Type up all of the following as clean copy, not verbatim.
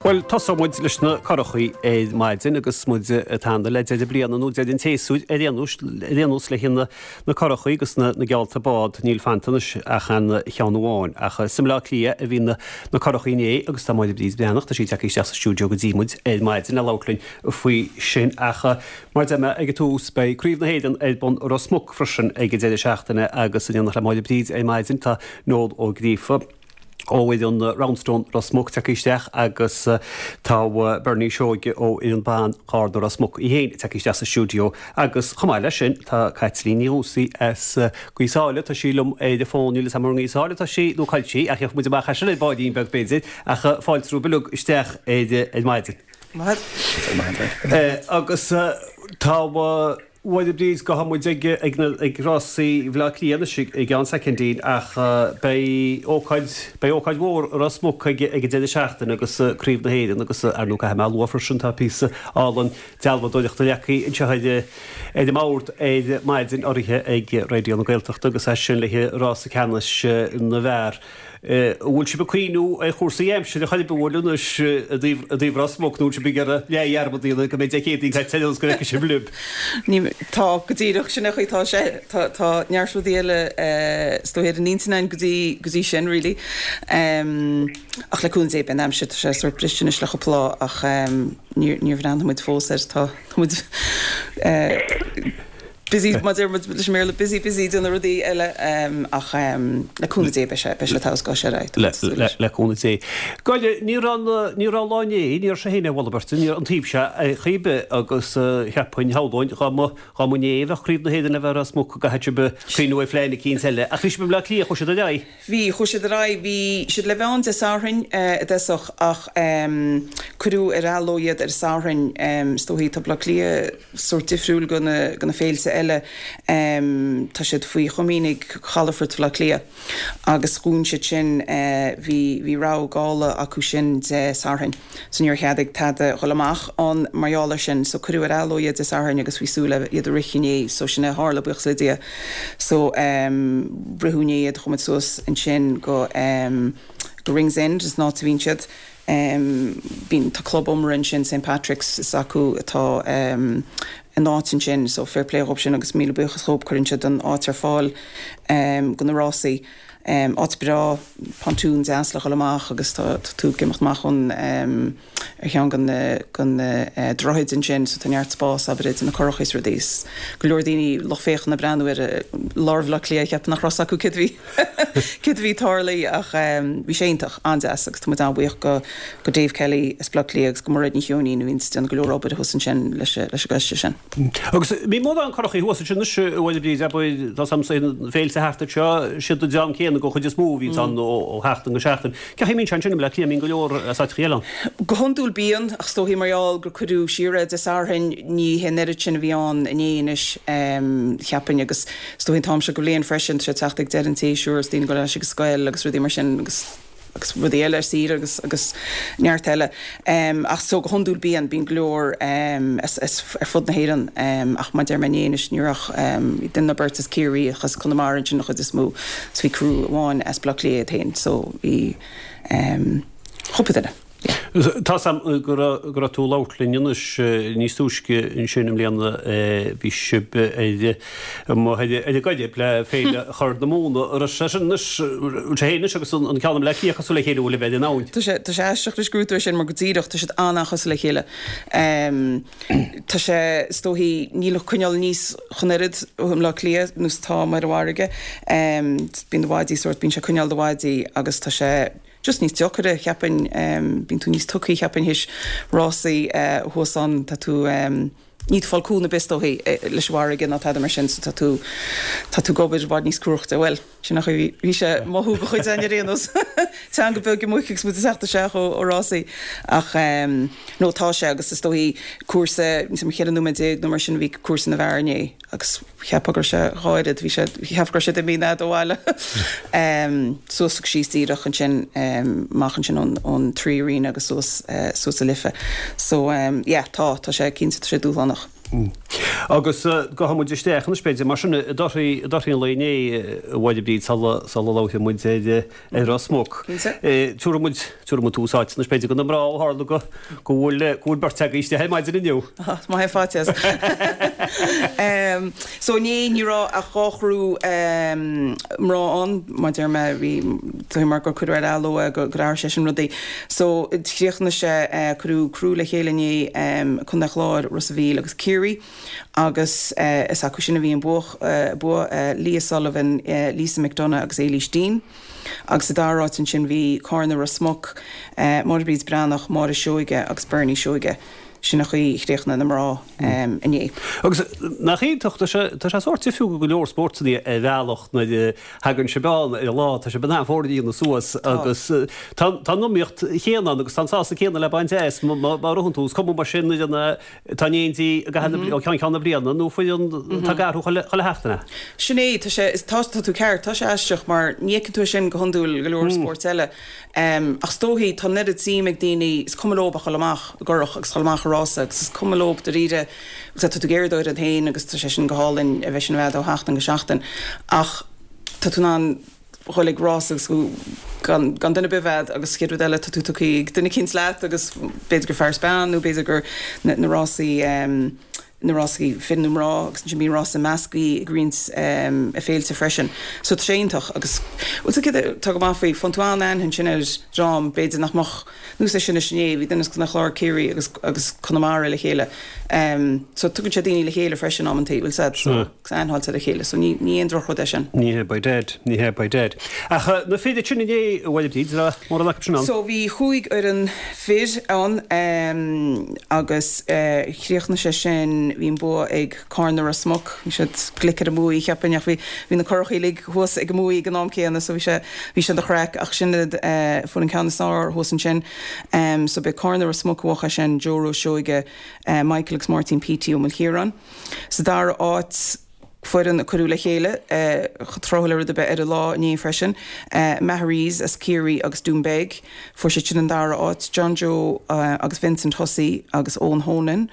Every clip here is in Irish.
Bhuel, tosóidh muid leis na curachaí ar maidin agus muid ag teannadh le deireadh bliana nó deireadh an tséasúir ar aon nós le haghaidh na curachaí agus na geallta bád. Níl fanta anois ach aon cheann amháin. Ach is i mBleá Cliath a bhí na curachaí inné agus tá Máire Bríd Breathnach, tá sí tagtha isteach sa stiúideo go dtí muid ar maidin le labhairt linn faoi sin. Ach mar a deir mé ag an tús, beidh Craobh na hÉireann ar bun i Ros Muc freisin ag an deireadh seachtaine agus in éineacht le Máire Bríd ar maidin tá Noel Ó Gríofa. ó fhoireann Roundstone Ros Muc tagtha isteach agus tá Bernie Seoige ó fhoireann ban Gharda Ros Muc í féin tagtha isteach sa stiúideo agus chomh maith leis sin tá Caitlín Ní Dhúsaigh as Gaoth Sáile, tá sí liom ar an bhfón, níl 'fhios a'm ar i nGaoth Sáile atá sí nó cá bhfuil sí ach gheobhaidh muid amach as sin ar baillín beag b'fhéidir ach fáilte romhaibh uilig isteach ar maidin. Maith. Agus tá. Bhuel, a Bhríd, gabhfaidh muid ag na ag rásaí Bhaile Átha Cliath anois i gceann soicindín ach beidh ócáid beidh ócáid mhór i Ros Muc ag ag an deireadh seachtaine agus Craobh na hÉireann agus ar ndóigh caithfidh mé a lua freisin tá píosa álainn dealbhádóireachta leagtha anseo ar ar an mbord ar maidin urraithe ag Raidió na Gaeltachta agus é sin le haghaidh rása ceannais na bhfear. An bhfuil sibh ag cuimhniú ar chúrsaí aimsire chor ar bith bhfuil anois i dtaobh Ros Muc nó bhfuil sibh ag iarraidh leathdhearmad a dhéanamh go mbeidh Dé Céadaoin caite ar nós go bhfeicfidh sibh libh? Ní, tá, go díreach, sin é an chaoi atá sé. Tá, tá neart rudaí eile is dóigh ar an intinn againn go dtí, go dtí sin really. Ach le cúnamh Dé beidh an aimsir, tá sé sórt briste anois le cúpla lá ach níor, níor bhreathnaigh muid fós air, tá, tá muid busy, mar a deir muid leis an mBéarla, busy, busy ag déanamh rudaí eile ach le cúnamh Dé beidh sé, beidh sé togha is ar aghaidh, tá muid ag súil leis. Le cúnamh Dé. Goile, ní raibh na, ní raibh lá inné, ní raibh sé féin ar bhalla beirte, ní raibh an taobh seo ar chaoi ar bith agus cheapfainn, shamhlóinn, dá mba, dá mba inné a bheadh Craobh na hÉireann le bheith i Ros Muc go gcaithfeadh sibh cuimhniú ar phlean eicínt eile. Ach bhí sibh i mBleá Cliath, chuaigh siad ar aghaidh. Bhí, chuaigh siad ar aghaidh, bhí siad le bheith ann Dé Sathairn i dtosach ach cuireadh ar athló iad ar an Satharn, is dóichí tá Bleá Cliath, sórt difriúil go na go na féilte eile. Tá siad faoi chomaoin ag Calafort Bhaile Átha Cliath agus dhún siad sin, bhí bhí rabhadh gála acu sin Dé Sathairn so níor cheadaigh tada dhul amach ann mar gheall air sin so cuireadh ar athló iad Dé Sathairn agus bhí súil le iad a rith inné so sin é a tharla buíochas le Dia. So ritheadh inné iad chuaigh muid suas ansin go go Ringsend is an áit a bhíonn siad. Bíonn, tá club iomaire ansin, St Patrick's, is acu atá an áit ansin, so fair play dhób sin agus míle buíochas dhób, cuireann siad an áit ar fáil go na rásaí. Áit breá, pontoon deas le dhul amach agus tá tú ag imeacht amach ón, ar cheann de na, de na droichid ansin so tá neart spás abair idir na curachaí is rudaí. Is go leor daoine, lucht féachana ag breathnú ar lár Bhaile Átha Cliath, cheapfainn nach raibh 's acu céard a bhí. Céard a bhí ag tarlú ach bhí sé iontach, an-deas agus tá muid an-bhuíoch go go Dave Kelly as Bleá Cliath agus go Mairéad Ní Cheoinín a bhíonns ag déanamh go leor obair thuas ansin leis leis an gcoiste sin. Agus bíonn mórán curachaí thuas ansin anois a Mháire Bríd, abair, tá 's a'msa na féilte thart anseo, siad an dream céanna den chuid is mó a bhíonns ann ó sheachtain go seachtain. Cén chaoi a mbíonn sé ansin i mBleá Cliath, an mbíonn go leor as áiteachaí eile ann? Go hiondúil bíonn, ach is dóichí mar gheall gur cuireadh siar é Dé Sathairn, ní hé an oiread sin a bhí ann inné anois, cheapfainn, agus Is dóichí an t-am seo go bhliain freisin, tá sé ag teacht ag deireadh an tséasúir is daoine ag dul ar ais ag an scoil agus rudaí mar sin agus agus rudaí eile ar saoire agus agus neart eile. Ach so go hiondúil bíonn, bíonn go leor as as ar fud na hÉireann ach mar a deir mé inné anois ní raibh ach duine nó beirt as Ciarraí ach as Conamara ansin an chuid is mó so bhí criú amháin as Baile Átha Cliath iad féin so bhí cúpla duine. Tá 's a'm go raibh tú ag labhairt linn anois níos túisce ansin i mbliana, bhí sibh ar amuigh ar an gCoirib le Féile Chur na Móna. An raibh sé sin anois, bhfuil sé féin anois agus an ceann i mBleá Cliath cosúil le chéile, bhfuil a bheith ar an abhainn? Tá sé, tá sé aisteach anois go raibh tú ar sin mar go díreach tá siad an-an-chosúil le chéile. Tá sé, is dóichí, níl an coinneáil aníos chomh oiread i mBleá Cliath nó is atá amuigh ar an bhfarraige. Bíonn do bháidí sórt, bíonn sé ag coinneáil do bháidí agus tá sé, just níos deocaire, cheapfainn, bíonn tú níos tugthaí, cheapfainn, théis rásaí thuas ann, tá tú, níl tú ag fáil cúnamh ar bith is dóichí leis an bhfarraige ná tada mar sin, so tá tú, tá tú ag obair i bhfad níos cruachta, bhuel, sin an chaoi a bhí sé ag mothú do chuid againn ar aon nós, teanga beag i muic agus muid ag teacht isteach ó rásaí, ach no tá sé agus is dóichí cúrsa, níl 's a'm 14 nóiméad nó mar sin a bhí cúrsa na bhfear inné. Agus cheapfá go raibh sé dhá oiread, bhí sé, cheapfá go raibh sé imithe an fhad ó bhaile. Suas agus síos díreach ansin, amach ansin ón, ón Three Arena agus suas, suas an Life. So, yeah, tá, tá sé, cinnte, tá sé dúshlánach. Agus gabhfaidh muid isteach anois b'fhéidir mar sin i dtorthaí i dtorthaí an lae inné a Mháire Bríd sula sula labhróidh muid ar ar Ros Muc. Tabharfaidh muid tabharfaidh muid tús áite anois b'fhéidir do na mná ó tharla go go bhfuil go bhfuil beirt agaibh istigh ar maidin inniu. Is maith é faitíos. So inné ní raibh ach 2 chriú mná ann, mar deir mé bhí tá mar gur cuireadh ar athló é gur athraigh sé sin rudaí. So chríochnaigh sé, cuireadh criú le chéile inné, Contae an Chláir, Ros a' Mhíl agus Ciarraí agus is acu sin a bhí an bua, bua Leah Sullivan, Lisa McDonagh agus Éilís Deane. Agus sa dara háit ansin bhí Cárna Ros Muc, Máire Bríd Breathnach, Máire Seoige agus Bernie Seoige. Sin an chaoi a chríochnaigh na mná inné. Agus nach iontach, tá sé, tá sé sórt difriúil go go leor spórtanna ar bhealach nuair a thagann sibh ann ar an lá, tá sibh in ann foirne a dhéanamh suas agus tá, tá an iomaíocht chéanna ann agus tá an sásamh céanna le baint as má, má ritheann tú, is cuma mar sin nuair a tá in éindí i gcaitheamh na, ó cheann ceann na bliana nó foireann atá ag athrú chuile, chuile sheachtain. Sin é, tá sé, tá, tá tú ceart, tá sé aisteach mar ní fheiceann tú é sin go hiondúil go leor spóirt eile. Ach is dóichí, tá an oiread suim ag daoine, is cuma leob a dhul amach i gcurach agus dhul amach i rása agus is cuma leob dáiríre, tá tú ag iarraidh d'fhoireann féin agus tá sé sin go hálainn a bheith sin a bheith ó sheachtain go seachtain ach tá tú in ann dhul ag rás agus gan gan duine ar bith bheith agus chéad rud eile tá tú tugtha ag duine eicínt leat agus b'fhéidir gur fear is bean nó b'fhéidir gur na rásaí na rásaí fir nó mná agus ansin bíonn rása measctha ag roinnt féilte freisin. So tá sé iontach agus bhuel tá céard atá go maith faoi, faigheann tú an-aithne ansin ar dhream b'fhéidir nach mbeadh nós é sin is inné, bhí duine as Contae an Chláir, Ciarraí agus agus Conamara le chéile. So tugann sé daoine le chéile freisin amantaí, bhfuil 's a'd, so agus aithne a fháilt ar a chéile so ní ní aon drochrud é sin. Ní hea by dad, ní hea by dad. Ach na fir sin inné, a Mháire Bríd, raibh mórán acu sin ann? So bhí chúig fhoireann fir ann agus chríochnaigh sé sin, bhí an bua ag Cárna Ros Muc, bhí siad glic ar an mbuaidh cheapfainn ach bhí, bhí na curachaí uilig thuas ag an mbuaidh ag an am céanna so bhí sé, bhí sé ina chraic ach sin iad, fuair an ceann is fearr thuas ansin. So b'é Cárna Ros Muc a bhuaigh é sin, Joe Rose Seoige, Michael agus Máirtín Petey Ó Maoilchiaráin. Sa dara háit, foireann a cuireadh le chéile tráthúil le rud ar bith ar an lá inné freisin, Maharees as Ciarraí agus Doonbeg. Fuair siad sin an dara háit, John Joe agus Vincent Hussey agus Eoin Honan.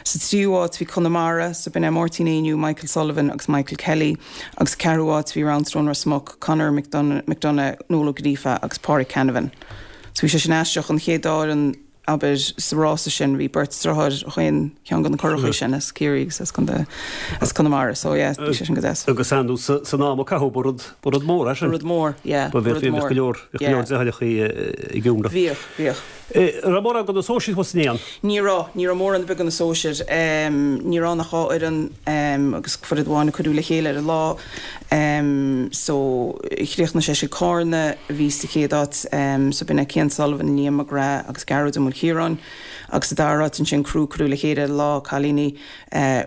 Sa tríú háit bhí Conamara, so b'in é Máirtín Éinniú, Michael Sullivan agus Michael Kelly. Agus sa ceathrú háit bhí Roundstone Ros Muc, Conor McDonagh, Noel Ó Gríofa agus Pádraig Canavan. So bhí sé sin aisteach, an chéad dá fhoireann abair, sa rása sin, bhí beirt driotháir ó chaon cheann de na curachaí sin, as Ciarraí agus as Contae, as Conamara, so yeah, bhí sé sin go deas. Agus ar ndóigh san am a caitheadh, ba rud, ba rud mór é sin. Ba rud mór, yeah, ba rud mór. Bheadh go leor, bheadh go leor deartháireachaí ag iomramh. Bhíodh, bhíodh. An raibh mórán de na sóisir thuas inné ann? Ní raibh, ní raibh mórán ar bith de na sóisir. Ní raibh ann ach dhá fhoireann agus foireann amháin a cuireadh le chéile ar an lá. So, chríochnaigh sé sin Cárna a bhí sa chéad áit, so b'in é Cian Sullivan, Liam McGrath agus Gearóid Ó Maoilchiaráin. Agus sa dara háit ansin criú cuireadh le chéile ar an lá, cailíní,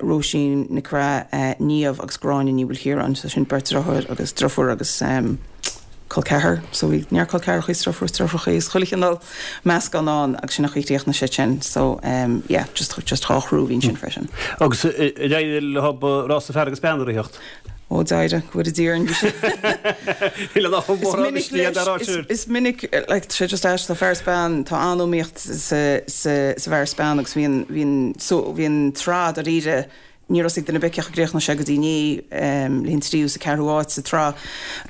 Róisín Nic Craith, Niamh agus Gráinne Ní Mhaoilchiaráin. So sin beirt driotháir agus driofúr agus col ceathar. So bhí neart col ceathrachaí is driofúr is driofúrachaí is chuile chineál meascán ann agus sin an chaoi a chríochnaigh sé sin. So yeah, just just dhá chriú a bhí ansin freisin. Agus ar éirigh leo rása fear agus bean a ritheacht? Ó d'éirigh, go bhfóire Dia orainn, bhí sé. Is minic leis, is minic, like, tá sé just aisteach, tá fear is bean, tá an-iomaíocht sa, sa, sa bhfear is bean agus bhí an, bhí an, so, bhí an tsraith dáiríre, ní raibh a fhios ag duine ar bith cén chaoi a gcríochnódh sé go dtí inné, le an tríú is an ceathrú áit sa tsraith.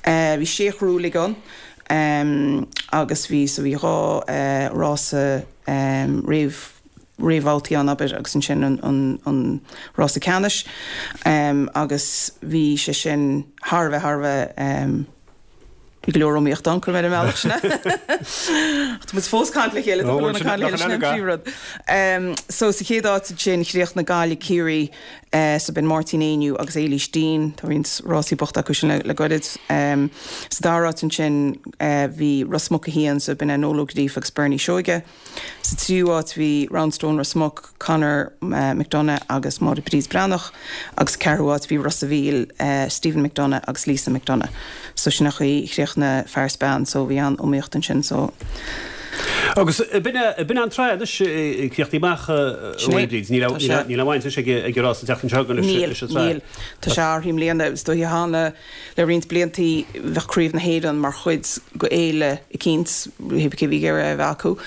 Bhí sé chriú uilig ann, agus bhí, so bhí dhá rása réamh, réamhbhabhtaí ann, abair, agus ansin an rása ceannais agus bhí sé sin thar a bheith, thar a bheith, bhí go leor iomaíochta ann, cuirfidh mé ar an mbealach sin é. Ach tá muid fós ag caint le chéile, tá chuile dhuine ag caint le chéile, sin é an príomhrud. So sa chéad áit ansin chríochnaigh Gaillimh Ciarraí, so b'in Máirtín Éinniú agus Éilís Deane, tá roinnt rásaí buachta acu sin le goirid. Sa dara háit ansin bhí Ros Muc 1, so b'in é Noel Ó Gríofa agus Bernie Seoige. Sa tríú háit bhí Roundstone Ros Muc, Conor McDonagh agus Máire Bríd Breathnach agus sa ceathrú háit bhí Ros a' Mhíl, Stephen McDonagh agus Lisa McDonagh. So sin an chaoi a chríochnaigh fear is bean so bhí an-iomaíocht ansin so. Agus b'in é an tsraith anois críochnaithe amach a Sin é. Bríd. Níl Tá sé. aon bhaint anois ag an rás an tseachtain seo chugainn leis Níl, an tsraith. níl. Tá sé athraithe i mbliana. Is dóiche cheana le roinnt bliantaí bheadh Craobh na hÉireann mar chuid de fhéile eicínt, pé cé bhí ag iarraidh é a bheith acu.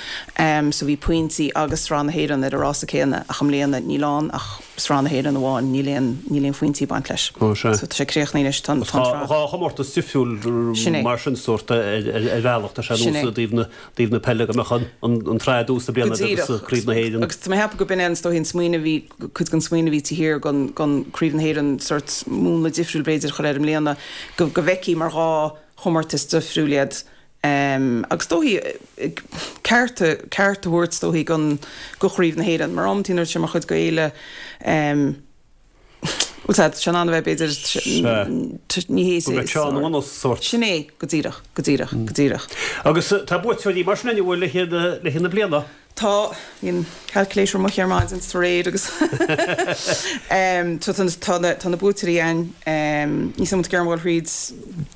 So bhí pointí agus Sraith na hÉireann ar an rása céanna ach i mbliana níl ann ach Sraith na hÉireann amháin, níl aon, níl aon phointí ag baint leis. Ó, sea. So tá sé críochnaithe anois, tá an, tá an tsraith. Tá chomórtas difriúil Sin é. mar sin sórt ar, ar, ar bhealach, tá sé Sin nós é. i dtaobh na, dtaobh na peile go mbeadh an, an, an tsraith i dtús na Go bliana agus díreach. Craobh na hÉireann. Agus tá mé ag ceapadh go b'in é an, is dóichí an smaoineamh a bhí, cuid den smaoineamh a bhí taobh thiar gon, gon Craobh na hÉireann sórt múnla difriúil b'fhéidir a chur air i mbliana, go, go bhfeicfí mar dhá chomórtas difriúil iad. Agus is dóichí ceart, ceart a thabhairt is dóichí gon, go Chraobh na hÉireann. Mar amantaí nuair atá sé mar chuid de fhéile, bhuel tá sé in ann a bheith b'fhéidir, ní hé Go mbeadh tráth na ngnó sórt. Sin é, go díreach, go díreach, go díreach. Agus tá buaiteoirí mar sin ann le haghaidh na bliana? Tá, bhí an calculator amuigh ar maidin is aréir agus tá tá na buaiteoirí ann, níl 's agam an bhfuil tú ag iarraidh dul thríd.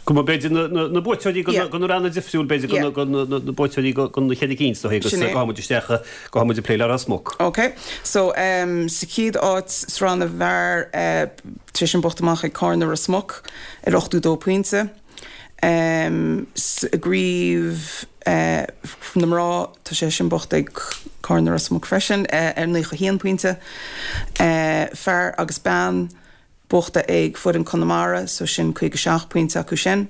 Go mba b'fhéidir na buaiteoirí go na ranna difriúil b'fhéidir go na buaiteoirí go na cheithre cinn is dóichí agus gabhfaidh muid isteach gabhfaidh muid ag plé le Ros Muc. Ok so sa chéad áit sraith na bhfear tá sé sin buachta amach ag Cárna Ros Muc ar 82 pointe. Sa gcraobh na mná, tá sé sin buachta ag Cárna Ros Muc freisin ar 91 pointe. Fear agus bean buachta ag foireann Conamara, so sin 57 pointe acu sin.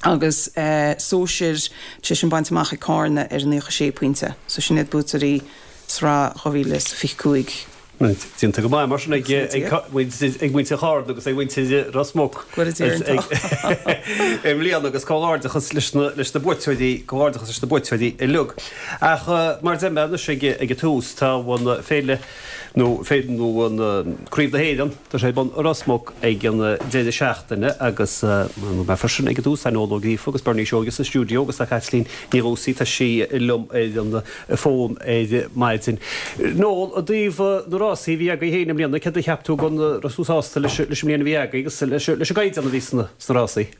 Agus sóisir, tá sé sin bainte amach ag Cárna ar 96 pointe. So sin iad buaiteoirí sraith 2025. Déanta go maith mar sin ag muintir Chárna agus ag muintir Ros Muc i mbliana agus comhghairdeachas leis na buaiteoirí, comhghairdeachas leis na buaiteoirí uilig. Ach mar a deir mé anois ag an tús, tá an féile nó nó an Craobh na hÉireann, tá sé ar bun i Ros Muc ag an deireadh seachtaine agus mar mé freisin ag an tús, tá Noel Ó Gríofa agus Bernie Seoige sa stiúideo agus tá Caitlín Ní Dhúsaigh, tá sí liom ar an fón ar maidin. Noel, i dtaobh na rásaí a bhí agaibh féin i mbliana, céard a cheap tú den, raibh tú sásta leis an mbliain a bhí agaibh agus leis an gcaighdeán a bhí sna rásaí?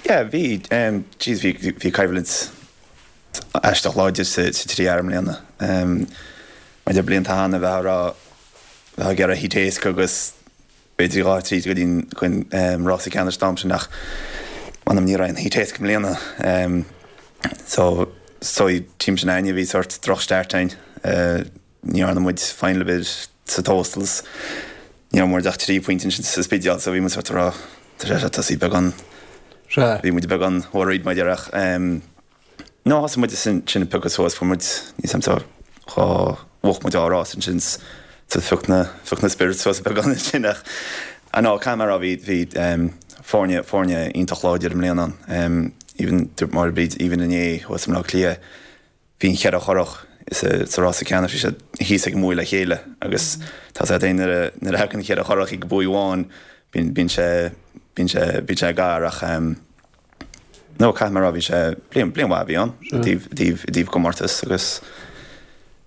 Yeah, bhí, jeez, bhí, bhí coimhlint aisteach láidir sa trí fhear i mbliana. Maidir le blianta cheana, bheifeá ag rá, bheifeá ag iarraidh heat éasca agus b'fhéidir dhá thríd go dtí an rása ceannais an t-am sin ach m'anam ní raibh aon heat éasca i mbliana. So so team sin againne bhí sort droch start againn. Ní dhearna muid final ar bith sa Tóstals. Ní raibh muid ach 3 phointe ansin sa Spidéal so bhí muid sort ag rá tá sé seo tosaí beagán bhí muid beagán worried maidir ach No, thosaigh muid ansin ag piocadh suas, fuair muid, níl 's a'm so, dhá, bhuaigh muid dhá rás ansin so phioc na, phioc na spirits suas beagán ansin ach, ah no, caithfidh mé a rá bhí, bhí foirne, foirne iontach láidir i mbliana ann. Even, dúirt Máire Bríd, even inné thuas i mBleá Cliath, bhí an cheithre churach sa, sa rása ceannais, bhí siad thíos ag an mbuaidh le chéile agus tá 's agat fhéin nuair a, nuair a thagann cheithre churach ag buaidh amháin, bíonn, bíonn sé, bíonn sé, bíonn sé gar ach. No, caithfidh mé a rá, bhí sé, bliain, bliain mhaith a bhí ann i dtaobh, i dtaobh, i dtaobh comórtas agus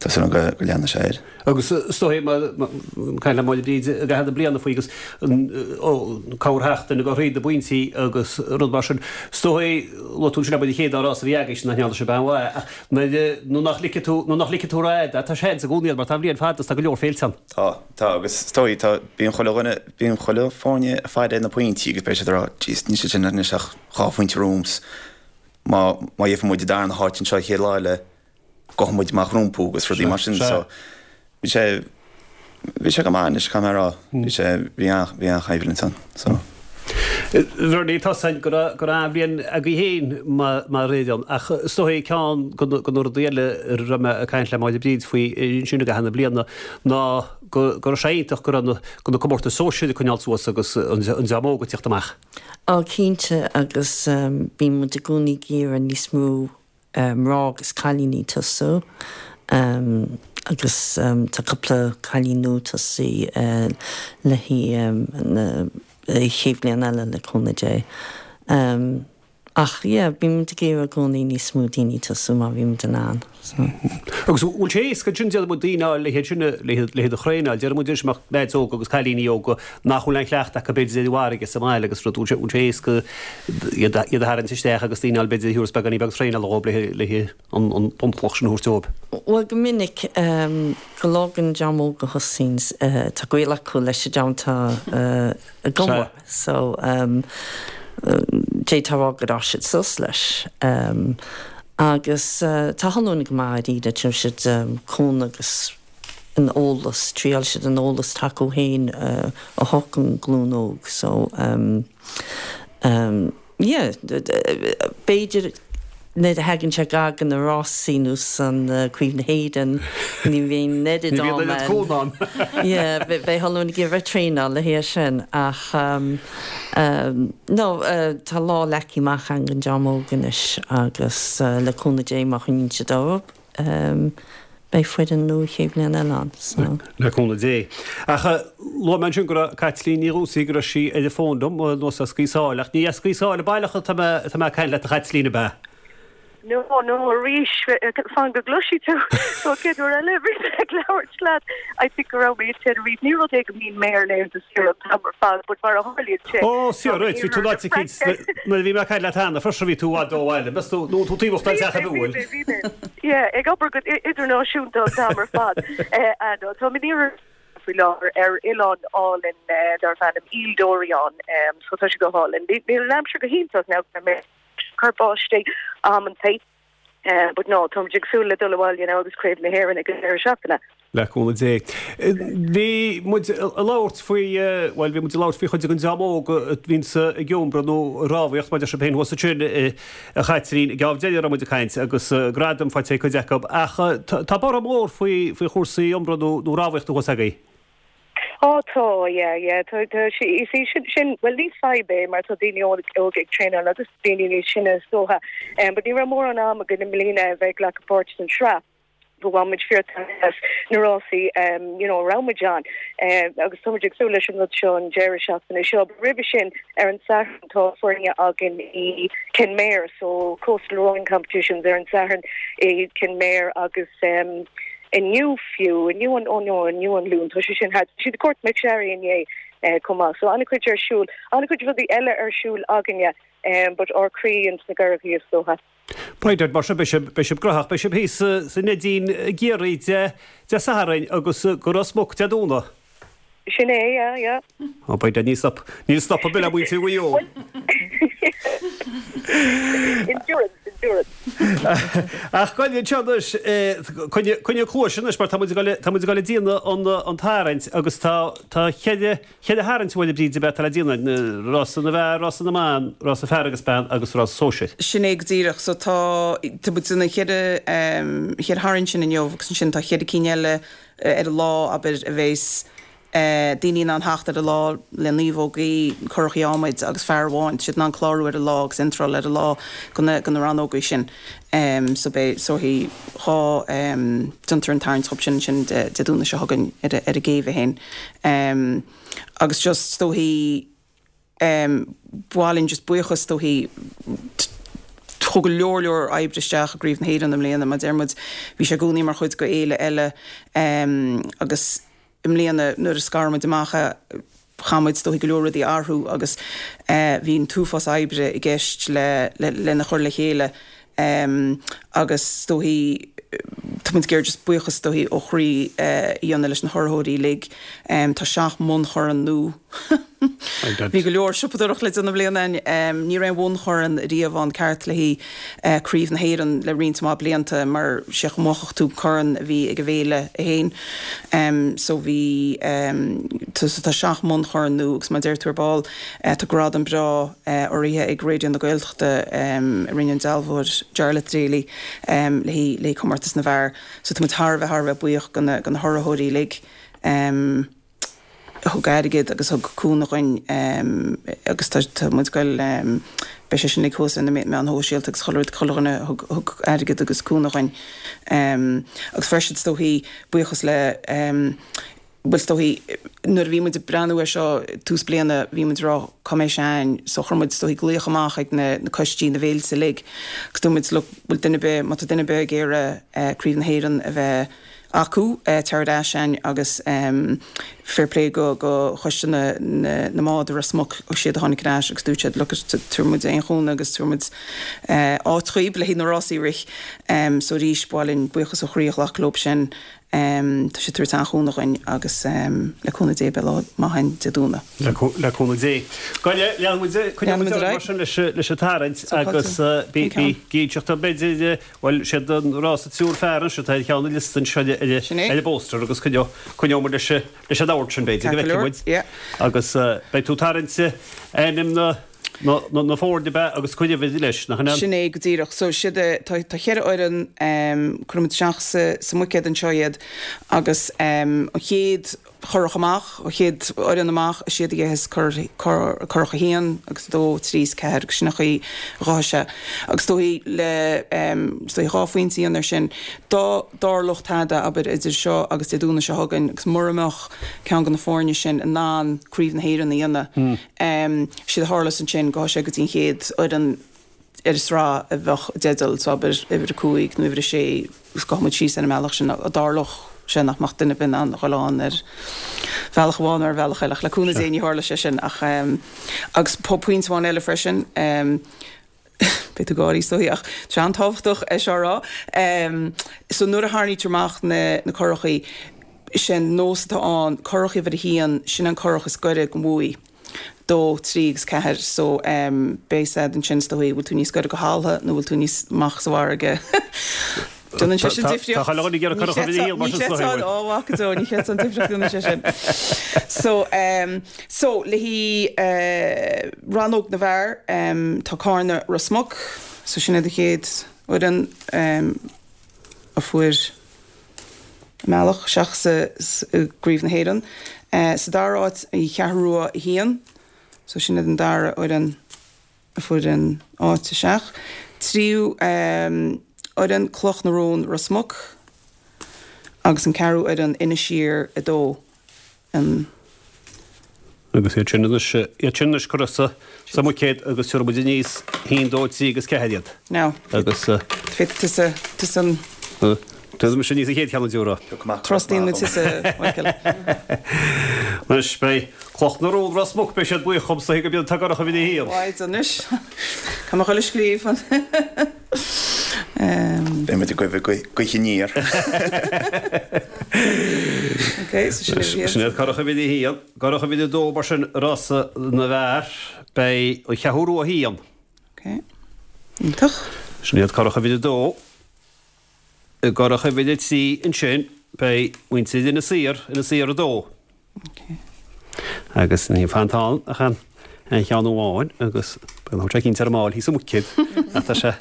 tá súil agam go, go leanfaidh sé air. Agus is dóigh, mar, caint le Máire Bríd i gcaitheamh na bliana faoi agus an, ó, corrsheachtain ag throid na bpointí agus rud mar sin. Is dóigh, luaigh tú ansin abair an chéad dá rás a bhí agaibhse nach ndearna sibh aon mhaith ach nuair, nuair nach ligfidh tú, nuair nach ligfidh tú ró-fhada, tá seans i gcónaí ann mar tá an bhliain fada is tá go leor féilte ann. Tá, tá agus is dóigh, tá, bíonn chuile dhuine, bíonn chuile foirne ag faire na pointí agus beidh siad ag rá, jeez, níl siad sin anois ach dhá phointe romham, má, má gheibheann muid an darna háit anseo an chéad lá eile, gabhfaidh muid amach rompu agus rudaí mar sin, so bhí sé, bhí sé go maith anois, caithfidh mé a rá, bhí sé, bhí an, bhí an-choimhlint ann, so. Bernie, tá 's a'inn go raibh, go raibh an-bhliain agaibh féin mar, mar fhoireann ach is dóigh ceann de na, de na rudaí eile a raibh mé ag caint le Máire Bríd faoi ansin i gcaitheamh na bliana ná go, go raibh sé iontach go raibh na, go na comórtais sóisir ag coinneáil suas agus an, an dream óg ag tíocht amach. Á cinnte agus bíonn muid i gcónaí ag iarraidh níos mó mná agus cailíní tosú agus tá cúpla cailín nua tosaí le haghaidh na chéad bhliain eile le cúnamh Dé. Ach yeah, bíonn muid ag iarraidh i gcónaí níos mó daoine tosú má bhíonn muid in ann. So. Agus bhfuil sé éasca ansin, déarfaidh muid, daoine a fháil le hiad sin, le hiad a thraenáil, déarfaidh muid anois mbeadh leaids óga agus cailíní óga nach bhfuil aon chleachtadh acu b'fhéidir ar an bhfarraige sa mbaile agus rud, bhfuil sé, bhfuil sé éasca iad a tharraingt isteach agus daoine a fháil b'fhéidir a thabharfas beagáinín beag traenála dhóibh le le an an bunchloch sin a thabhairt dóibh? Bhuel go minic, go leor den dream óg a thosaíonn, tá gaol acu leis an dream atá ag obair. So, d'fhéadfá a rá gur fhás siad suas leis. Agus tá chuile dhuine go maith dáiríre, tugann siad cúnamh agus an eolas, triáil siad an eolas atá acu féin a thabhairt don ghlúin óg. So, yeah, b'fhéidir nuair a thagann sé gar do na rásaí nó san Craobh na hÉireann, ní bhíonn an oiread Ní bhíonn oiread cúnamh ann. Yeah, beidh chuile dhuine ag iarraidh traenáil le haghaidh sin ach no, tá lá leagtha amach againn don dream óg anois agus le cúnamh Dé má choinníonn siad orthu, beidh foireann nua chéad bhliain eile ann. So. Le cúnamh Dé. Ach luaigh mé ansin go raibh Caitlín Ní Dhúsaigh, go raibh sí ar an bhfón liom anuas as Gaoth Sáile, ach ní as Gaoth Sáile baileach atá mé, atá mé ag caint leat a Chaitlín, ab ea? No, no, arís, fan go gcloisfidh tú. So, chéad uair eile a bhí mé ag labhairt leat, I think go raibh mé i Tenerife. Ní rud é go mbíonn mé ar laethanta saoire an t-am ar fad, but mar a tharlaíonn sé, Ó, sea, right, bhí tú in áit eicínt, nuair a bhí mé ag caint leat cheana, freisin bhí tú i bhfad ó bhaile, meas tú, nó tú taobh den teach a bhuail. Bhí mé, bhí mé, bhí mé. Yeah, ag obair go idirnáisiúnta an t-am ar fad. Ah no, táim in iarthar faoi láthair ar oileán álainn darb ainm Île d'Oléron, so tá sé go hálainn. Níl an aimsir go hiontach now go mbeidh cur báistí amantaí, but no, táimid ag súil le dul abhaile now agus Craobh na hÉireann ag an deireadh seachtaine. Le cúnamh Dé. Bhí muid ag labhairt faoi, bhuel, bhí muid ag labhairt faoi chuid den dream óg a bhíonns ag iombradh nó ag rámhaíocht, mar a deir sibh féin thuas ansin, a Chaitlín, geábh deiridh a raibh muid ag caint agus gradaim faighte ag cuid acu. Ach tá borradh mór faoi, faoi chúrsaí iombradh nó, nó rámhaíochta thuas agaibh. Á tá, yeah, yeah, tá, tá, is í sin, sin, bhuel ní fadhb é mar tá daoine óga ag traenáil agus daoine níos sine is dócha, but ní raibh mórán am againn i mbliana a bheith ag glacadh páirt san sraith. Bhain muid fíor-taitneamh as na rásaí you know a raibh muid ann agus tá muid ag súil leis an rud seo an deireadh seachtaine seo. But roimhe sin ar an Satharn tá foirne againn i Kenmare so Coastal Rowing Competitions ar an Satharn i Kenmare agus inniu fiú, inniu an, oh no, inniu an Luan, tá sé sin thart, tá siad i Courtmacsherry inné chomh maith. So an-chuid ar siúl, an-chuid rudaí eile ar siúl againne but ár croí ins na gcurachaí is dócha. By dad, mar sin beidh sibh, beidh sibh graitheach, beidh sibh thíos sa Neidín i gCiarraí Dé, Dé Sathairn agus go Ros Muc Dé Domhnaigh. Sin é, yeah, yeah. Oh, by dad, níl stop, níl stop ar bith le muintir Mhaigh Eo. Endurance, endurance. Ach gabh anseo anois, coinnigh, coinnigh cluais anois mar tá muid ag dul, tá muid ag dul ag déanamh an, an tarraingt agus tá, tá cheithre, Cheithre tharraingt a bhfuil, a Bhríd, ab ea atá le déanamh, rása na bhfear, rása na mban, rása fear agus bean agus rása sóisir. Sin é go díreach. So tá, tá muid ag déanamh cheithre, cheithre tharraingt sin inniu agus ansin tá cheithre cinn eile ar an lá, abair, a bheas daoine in ann theacht ar an lá le naomhógaí, curachaí adhmaid agus fear amháin, tá siad in ann clárú ar an lá agus iontráil ar an lá go na, go na rannógaí sin. So beidh, so dhá, déantar an tarraingt dhóibh sin ansin Dé Domhnaigh seo chugainn ar an gcéibh é féin. Agus just is dóichí ba mhaith linn just buíochas is dóichí chuaigh go leor leor oibre isteach i gCraobh na hÉireann i mbliana mar deir muid bhí sé i gcónaí mar chuid de fhéile eile agus i mbliana nuair a scar muid amach chaith muid is dóichí go leor rudaí a athrú agus bhí an t-uafás oibre i gceist le lena chur le chéile agus is dóichí tá muid ag iarraidh just buíochas is dóichí ó chroí a dhéanamh leis na hurraitheoirí uilig. Tá seacht mbunchorn nua. Bhí go leor siopadóireacht le déanamh i mbliana againn. Ní raibh aon bhunchorn riamh ann ceart le haghaidh Craobh na hÉireann le roinnt mhaith blianta mar sé go mbuafadh tú corn a bhí ag an bhféile é féin. So bhí so tá seacht mbunchorn nua agus mar a deir tú ar ball tá gradam breá urraithe ag Raidió na Gaeltachta a rinne an dealbhóir Jarlath Daly le haghaidh comórtas na bhfear. So tá muid thar a bheith thar a bheith buíoch go na hurraitheoirí uilig. a thug airgead agus thug cúnamh dhuinn agus tá muid ag goil, beidh sé sin uilig thuas ar na meáin shóisialta agus chuile rud, chuile dhuine a thug airgead agus cúnamh dhuinn. Agus freisin is dóichí buíochas le. Bhuel, is dóichí, nuair a bhí muid ag breathnú air seo tús bliana, bhí muid ag rá cá mbeidh sé a'ainn, so chuir muid, is dóichí, glaoch amach ag na coistí, na bhféilte uilig, agus dúirt muid, look, bhfuil duine ar bith, má tá duine ar bith ag iarraidh Craobh na hÉireann a bheith acu, tar ar ais a'ainn agus fair play go, go choiste na, na, na mbád i Ros Muc, siad a tháinig ar ais agus dúirt siad, look, tabharfaidh muid aon chúnamh agus tabharfaidh muid áit dhaoib le haghaidh na rásaí a rith. So arís, ba mhaith linn buíochas ó chroí a ghlacadh leob sin. Tá siad ag tabhairt an-chúnamh dhuinn agus le cúnamh Dé beidh lá maith againn Dé Domhnaigh. Le cúnamh Dé. Gabh leanfaidh muid, coinneoidh muid ar mar sin leis an tarraingt agus bí gíseach b'fhéidir, bhuel, siad an rás an triúr fear anseo atá ar cheann an liosta anseo ar an bpóstaer agus coinneoidh muid leis an ord sin b'fhéidir go bhfeicfidh muid agus beidh tú ag tarraingt ainm na na foirne ab ea agus cuir uimhir leis, nach ea? Sin é go díreach. So siad, tá tá cheithre fhoireann, cuirfidh muid isteach sa sa mbuicéad anseo iad agus an chéad churach amach, an chéad fhoireann amach, is iad a gheibheas curach a haon agus a dó, trí is ceathair agus sin an chaoi a ghabhfaidh sé. Agus is dóichí le, is dóichí dhá phointe a dhéanamh air sin, dá dtarlódh tada, abair, idir seo agus Dé Domhnaigh seo chugainn agus mura mbeadh ceann de na foirne sin in ann Craobh na hÉireann a dhéanamh, Séard a tharlós ansin, gabhfaidh sé go dtí an chéad fhoireann ar an sraith a bheadh i dteideal, so abair uimhir a cúig nó uimhir a sé, agus gabhfaidh muid síos ar an mbealach sin. Dá dtarlódh sé nach mbeadh duine ar bith in ann a dhul ann ar bhealach amháin nó ar bhealach eile, ach le cúnamh Dé ní tharlóidh sé sin. Ach, agus pointe amháin eile freisin, Beidh tú ag gáirí is dóichí ach tá sé an-tábhachtach é seo a rá. So nuair a tharraingítear amach na na curachaí, sé an nós atá ann, curach uimhir a haon, sin an curach is gaire don bhuaidh. Dó, trí agus ceathair. So beidh a fhios a'd ansin is dóichí, bhfuil tú níos gaire go thalamh nó bhfuil tú níos amach sa bhfarraige. Déanann sé sin difríocht. Tá chuile dhuine ag iarraidh curach uimhir a haon mar sin is dóichí, bhfuil? Ó, mhac go deo, ní chreidfeá an difríocht a dhéanann sé sin. So, so, le haghaidh rannóg na bhfear, tá Cárna Ros Muc, so sin iad an chéad fhoireann a fuair a mbealach isteach sa gCraobh na hÉireann. Sa dara háit, An Cheathrú Rua 1, so sin iad an dara fhoireann. a fuair an áit isteach. Tríú fhoireann, Cloch na Rón, Ros Muc, agus an ceathrú fhoireann, Inis Oírr 2, an. Agus iad sin anois, iad sin anois curtha sa, sa mbuicéad agus tabharfaidh muid aníos haon, dó, trí agus ceathair iad. Now, Agus. féadfaidh tusa, tusa an. Tabharfaidh mise aníos an chéad cheann a déarfá. Trustaíonn muid tusa, Michael. Anois beidh Cloch na Rón, Ros Muc, beidh siad buíoch dhom is dóichí go mbíonn tú ag curach uimhir a haon. Mhaith anois. Tá mo chuile scríobh. Beidh muid ag goimh gaoth aniar. Ok, so sin uimhir a haon. Sin iad curach uimhir a haon. Curach uimhir a dó mar sin rása na bhfear. Beidh an Cheathrú Rua 1. Ok. Iontach. Sin iad curach uimhir a dó. I gcurach uimhir a 3 ansin beidh muintir Inis Oírr, Inis Oírr 2. Agus níl fanta ann ach an ceann amháin agus beidh an sé cinnte ar an mball thíos sa mbuicéad ach tá sé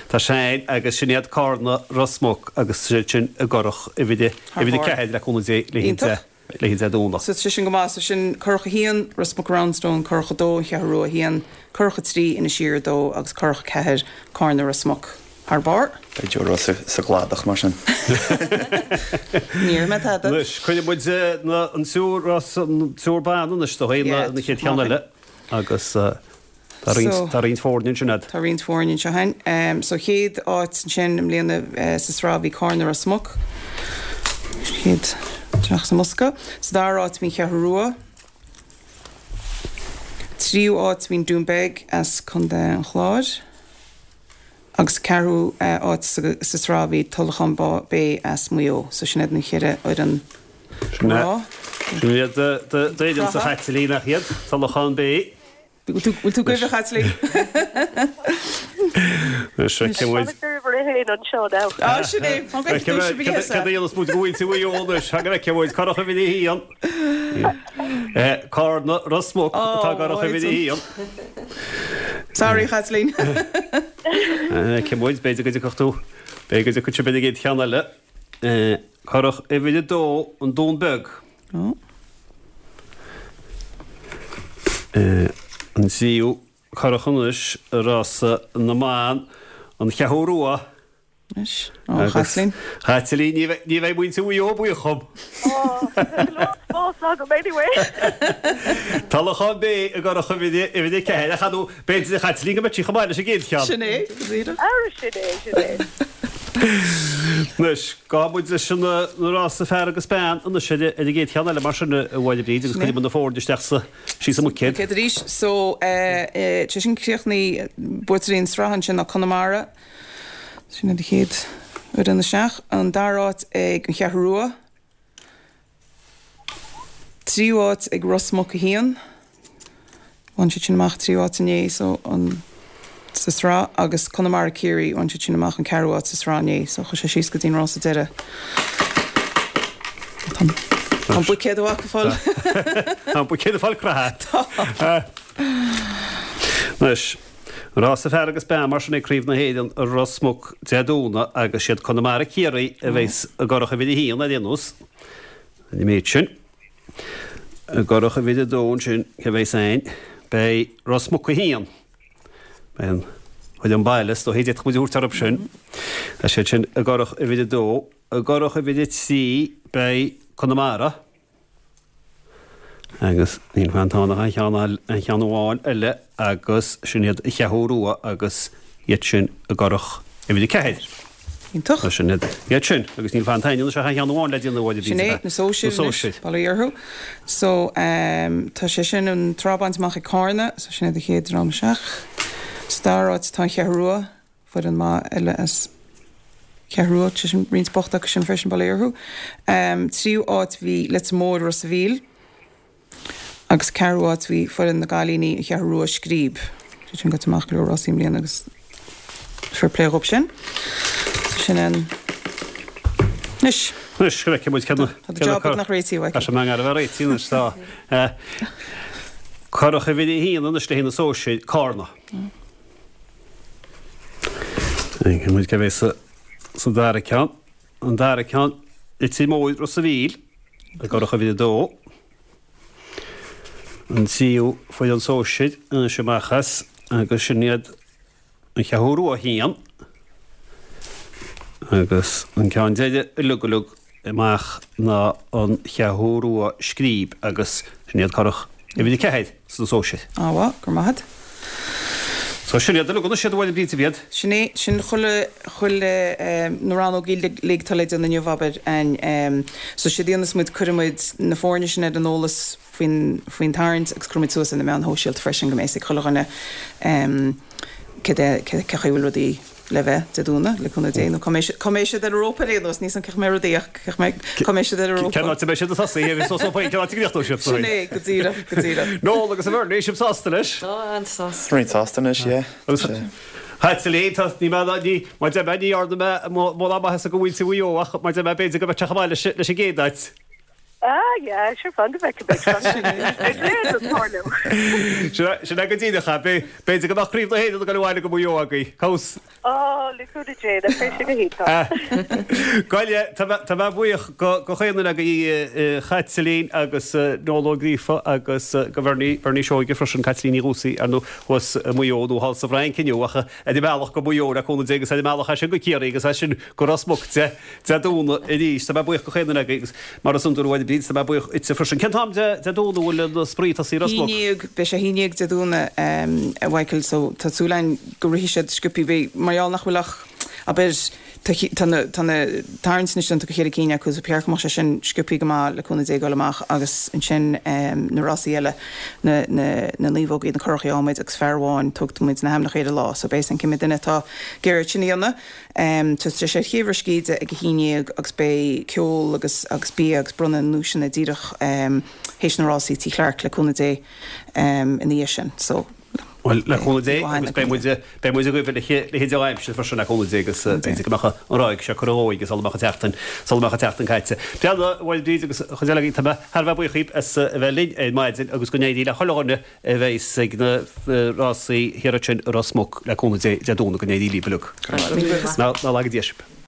tá sé ann agus sin iad Cárna Ros Muc agus siad sin i gcurach uimhir a uimhir a 4 le cúnamh Dé le Iontach. le Dé Domhnaigh. So tá sin go maith. So sin curach 1, Ros Muc Roundstone, curach 2, An Cheathrú Rua 1, curach 3, Inis Oírr 2 agus curach 4, Cárna Ros Muc. Thar barr. Beidh Joe Ross sa gcladach mar sin. Ní raibh mé tada. Anois, cuirfidh muid an triúr Ros, an triúr ban anois do dhaoine na chéad cheann eile agus Tá roinnt, tá roinnt foirne ansin a'd. Tá roinnt foirne anseo a'inn. So chéad áit ansin i mbliana sa sraith bhí Cárna Ros Muc. Chéad isteach sa mbosca. Sa dara áit bhí an Cheathrú Rua. Tríú áit bhí an Dún Beag as Contae an Chláir. Agus ceathrú áit sa sraith bhí Tulachán Bay as Maigh Eo. So sin iad na ceithre fhoireann mná. Sin iad d'fhoireann sa Chaitlín nach iad, Tulachán Bay. Bhfuil tú goimh, a Chaitlín? Anois feicfidh muid. Á, sin é. An bhfeicfidh tú sibh Cad a dhéanfas muid go bhfuil tú Mhaigh Eo anois? Go bhfeicfidh muid. Curach uimhir a haon. Cárna Ros Muc atá i gcurach uimhir a haon. Sorry, a Chaitlín. Feicfidh muid. B'fhéidir go dtiocfadh tú. B'fhéidir go dtiocfadh sibh ar an gcéad cheann eile. Curach uimhir a dó, an Dún Beag. An tríú curach anois i rása na mban, an Cheathrú Rua. Anois, ó, a Chaitlín. Chaitlín, ní bheidh muintir Mhaigh Eo buíoch dhom. Ó, tá go leor spáis. agam anyway. Tá Lochán Bé i gcurach uimhir 4 ach ar ndóigh b'fhéidir a Chaitlín go mbeidh sí chomh maith leis an gcéad cheann. Sin é, go díreach. Ara sin é, sin é. Anois, gabhfaidh muid leis an rása fear agus bean anois ar an gcéad cheann eile mar sin a Mháire Bríd agus cuirfidh muid na foirne isteach sa, síos sa mbuicéad. Buicéad arís. So, sé sin críochnaithe, buaiteoirí an sraith ansin ná Conamara. Sin iad an chéad fhoireann isteach. An dara háit ag An Cheathrú Rua. Tríú háit ag Ros Muc 1. Bhain siad sin amach tríú háit inné so an sa sraith agus Conamara Ciarraí bhain siad sin amach an ceathrú háit sa sraith inné so chuaigh sé síos go dtí an rása deiridh. Tá an buicéad ag fáil. Tá an buicéad ag fáil creatha. Tá. Anois, rása fear agus bean mar sin é Craobh na hÉireann i Ros Muc Dé Domhnaigh agus siad Conamara Ciarraí a bheas i gcurach uimhir a haon ar aon nós. An méid sin. I gcurach uimhir a dó ansin, cé a bheas ann? Beidh Ros Muc 1. Beidh an fhoireann baile, is dóichí, d'fhéadfadh muid a thabhairt orthu sin. Beidh siad sin i gcurach uimhir a dó. I gcurach uimhir a trí beidh Conamara. Agus níl fanta ach an cheann an cheann amháin eile agus sin iad an Cheathrú Rua agus iad sin i gcurach uimhir 4. Iontach. Sin iad iad sin agus níl fanta anois ach an cheann amháin le déanamh a Sin é, na sóisir anois, bail ó Dhia orthu. So, tá sé sin an tsraith bainte amach ag Cárna, so sin iad an chéad dream isteach. Sa dara háit tá an Cheathrú Rua. Foireann maith eile as Ceathrú Rua, sé sin roinnt bochta acu sin freisin, bail ó Dhia orthu. Tríú áit bhí Leitir Móir, Ros a' Mhíl agus ceathrú áit bhí foireann na gcailíní, An Cheathrú Rua, Scríb. Siad sin gaibhte amach go leor rásaí i mbliana agus fair play dhóibh sin. Sin an. Anois. Anois, go bhfeicfidh muid cé na. Tá do job beagnach réitithe, Mhichael. Tá sé i ngar a bheith réitithe anois, tá. Curach uimhir a haon anois le haghaidh na sóisir, Cárna. Feicfidh muid cé bheidh sa dara ceann. An dara ceann, Leitir Móir, Ros a' Mhíl, i gcurach uimhir a dó. An tríú foireann sóisir anois amach as agus sin iad An Cheathrú Rua 1 agus an ceann deiridh uilig uilig amach ná An Cheathrú Rua Scríb agus sin iad curach uimhir 4 sna sóisir. Á mhaith, go raibh maith agat. So sin iad uilig anois iad a Mháire Bríd iad. Sin é, sin chuile, chuile, na rannógaí uilig atá le déanamh inniu, abair, a'inn. So séard a dhéanas muid, cuirfidh muid na foirne sin ar an eolas faoin, faoin tarraingt agus cuirfidh muid suas ar na meáin shóisialta freisin go mbeidh a fhios ag chuile dhuine céard é, cé chaoi a bhfuil rudaí. le bheith, Dé Domhnaigh, le cúnamh Dé, nó cá mbeidh, cá mbeidh siad ar an rópa ar aon nós, níl 's a'm cén chaoi a mbeidh rudaí ach cá mbeidh, cá mbeidh siad ar an rópa. Cén áit a mbeidh siad ag tosaí, agus so cén áit a gcríochnóidh siad. Sin é, go díreach, go díreach. Noel agus a Bhernie, sibh sásta leis? Tá, an-sásta. Roinnt sásta anois, yeah. Agus Chaitlín, tá, ní mé, ní, mar deir mé, ní dhearna mé mórán maitheasa do mhuintir Mhaigh Eo ach mar deir mé, b'fhéidir go mbeadh sé chomh maith leis, leis an gcéad áit. Ah yeah, sure fan go bhfeicfidh beidh fan sin beidh léir le tarlú. Sin é go díreach é. B'fhéidir go mbeadh Craobh na hÉireann ag dul abhaile go Maigh Eo agaibh. Conas? Á, le cúnamh Dé, nach mbeidh sé go hiontach. Gabh i leith, tá mé buíoch go chaon duine agaibh, a Chaitlín agus Noel Ó Gríofa agus go Bhernie, Bernie Seoige freisin, Caitlín Ní Dhúsaigh, ar ndóigh, thuas i Maigh Eo nó thall sa bhFrainc inniu ach ar an mbealach go Maigh Eo le cúnamh Dé agus ar an mbealach as sin go Ciarraí agus as sin go Ros Muc Dé Dé Domhnaigh arís. Tá mé buíoch go chaon duine agaibh agus mar is iondúil a Mháire Bríd, tá mé buíoch duitse freisin. Cén t-am Dé Dé Domhnaigh a bhfuil an spraoi ag tosaí i Ros Muc? Haon ndéag, beidh sé haon ndéag Dé Domhnaigh a Mhichael so tá súil againn go rithfidh siad sciobthaí. Beidh, mar gheall nach bhfuil ach, abair, tá tá na tá na tarraingt anois déanta go cheithre cinn acu so ba cheart go mbeadh sé sin sciobthaí go maith le cúnamh Dé ag dul amach agus ansin na rásaí eile, na na na naomhógaí, na curachaí adhmaid agus fear amháin, tugtar muid na hainmneacha ar an lá so beidh a fhios ag cibé duine atá ag iarraidh sin a dhéanamh. Tá sé ar Chéibh Ros Cíde ag a haon ndéag agus beidh ceol agus agus bia agus bronnadh na nduaiseanna díreach théis na rásaí Tigh Clarke le cúnamh Dé ina dhiaidh sin. So Bhuel, le cúnamh Dé agus beidh muid beidh muid agaibh le le dea-aimsir freisin le cúnamh Dé agus b'fhéidir go mbeadh an ráig seo curtha dhóigh sula mbeadh an tseachtain sula mbeadh an tseachtain caite. Bhuel, a Mháire Bríd agus an chuid eile agaibh tá mé thar a bheith buíoch dhíbh as a bheith linn ar maidin agus go n-éirí le chuile dhuine a bheas ag na rásaí thiar ansin i Ros Muc le cúnamh Dé Dé Domhnaigh go n-éirí libh uilig. Ná laga Dia sibh.